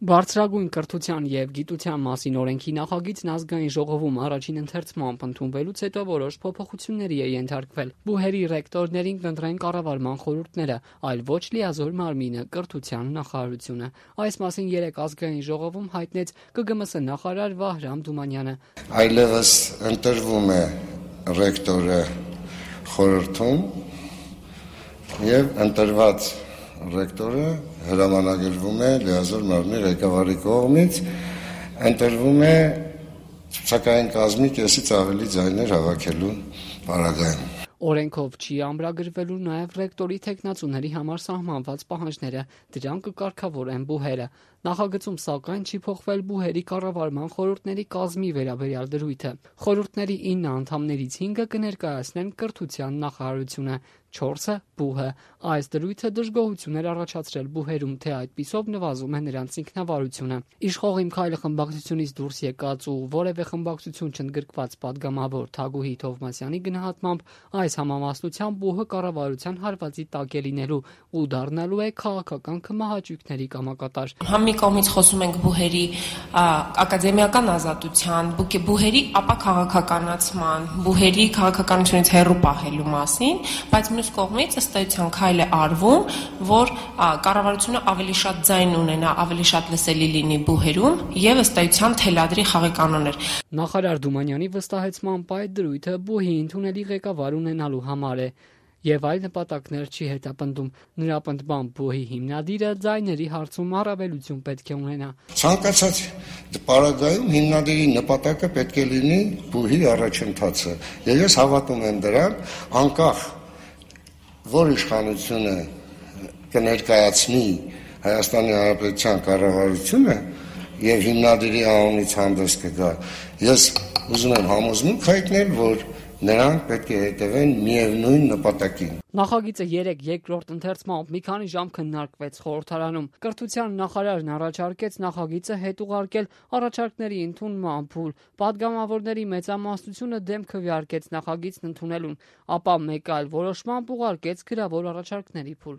Բարձրագույն կրթության և գիտության մասին օրենքի նախագիծն ազգային ժողովում առաջին ընթերցմամբ ընդունվելուց հետո որոշ փոփոխությունների է ենթարկվել։ Բուհերի ռեկտորներին կընտրեն կառավարման խորհուրդները, այլ ոչ լիազոր մարմինը՝ կրթության նախարարությունը։ Այս մասին երեկ ազգային ժողովում հայտնեց ԿԳՄՍ նախարար Վահրամ Թումանյանը։ Այլևս ընտրվում է ռեկտորը խորհրդում եւ ընտրված ռեկտորը հրամանագրվում է լիազոր մարմնի ղեկավարի կողմից, ընտրվում է ցուցակային կազմի կեսից ավելի ձայներ հավաքելու պարագայում։ Օրենքով չի ամրագրվելու նաև ռեկտորի թեկնածուների համար սահմանված պահանջները, դրան կկարգավորեն բուհերը։ Նախագծում սակայն չի փոխվել բուհերի կառավարման խորհուրդների կազմի վերաբերյալ դրույթը։ Խորհուրդների 9 անդամներից 5-ը կներկայացնեն կրթության նախարարությունը, 4-ը՝ բուհը։ Այս դրույթը դժգոհություն էր առաջացրել բուհերում, թե այդպիսով նվազում է նրանց ինքնավարությունը։ Իշխող Իմ քայլը խմբակցությունից դուրս եկած ու որևէ խմբակցություն չընդգրկված падգամավոր Թագուհի Թովմասյանի գնահատմամբ այս համամասնությամբ բուհը կառավարության հարվածի տակ է լինելու ու դառնալու է քաղաքական քմահաճույքների կամակատար։ Մի կողմից խոսում ենք բուհերի ակադեմիական ազատության, բուհերի ապա քաղաքականացման, բուհերի քաղաքականությունից հեռու պահելու մասին, բայց մյուս կողմից ըստ էության քայլ է արվում, որ կառավարությունը ավելի շատ ձայն ունենա, ավելի շատ լսելի լինի բուհերում եւ ըստ էության թելադրի խաղի կանոններ։ Նախարար Թումանյանի վստահեցմամբ այդ դրույթը բուհի ընդունելի ղեկավար ունենալու համար է եւ այլ նպատակներ չի հետապնդում։ Նրա պնդմամբ բուհի հիմնադիրը ձայների հարցում առավելություն պետք է ունենա։ Ցանկացած պարագայում հիմնադիրի նպատակը պետք է լինի բուհի առաջընթացը։ Եվ ես հավատում եմ դրան, անկախ որ իշխանությունը կներկայացնի Հայաստանի Հանրապետության կառավարությունը եւ հիմնադիրի անունից հանդես կգա, ես ուզում եմ համոզմունք հայտնել, որ նրանք պետք է հետևեն միևնույն նպատակին։ Նախագիծը երեկ երկրորդ ընթերցմամբ մի քանի ժամ քննարկվեց խորհրդարանում։ Կրթության նախարարն առաջարկեց նախագիծը հետ ուղարկել առաջարկների ընդունման փուլ։ Պատգամավորների մեծամասնությունը դեմ քվեարկեց նախագիծն ընդունելուն, ապա մեկ այլ որոշմամբ ուղարկեց գրավոր առաջարկների փուլ։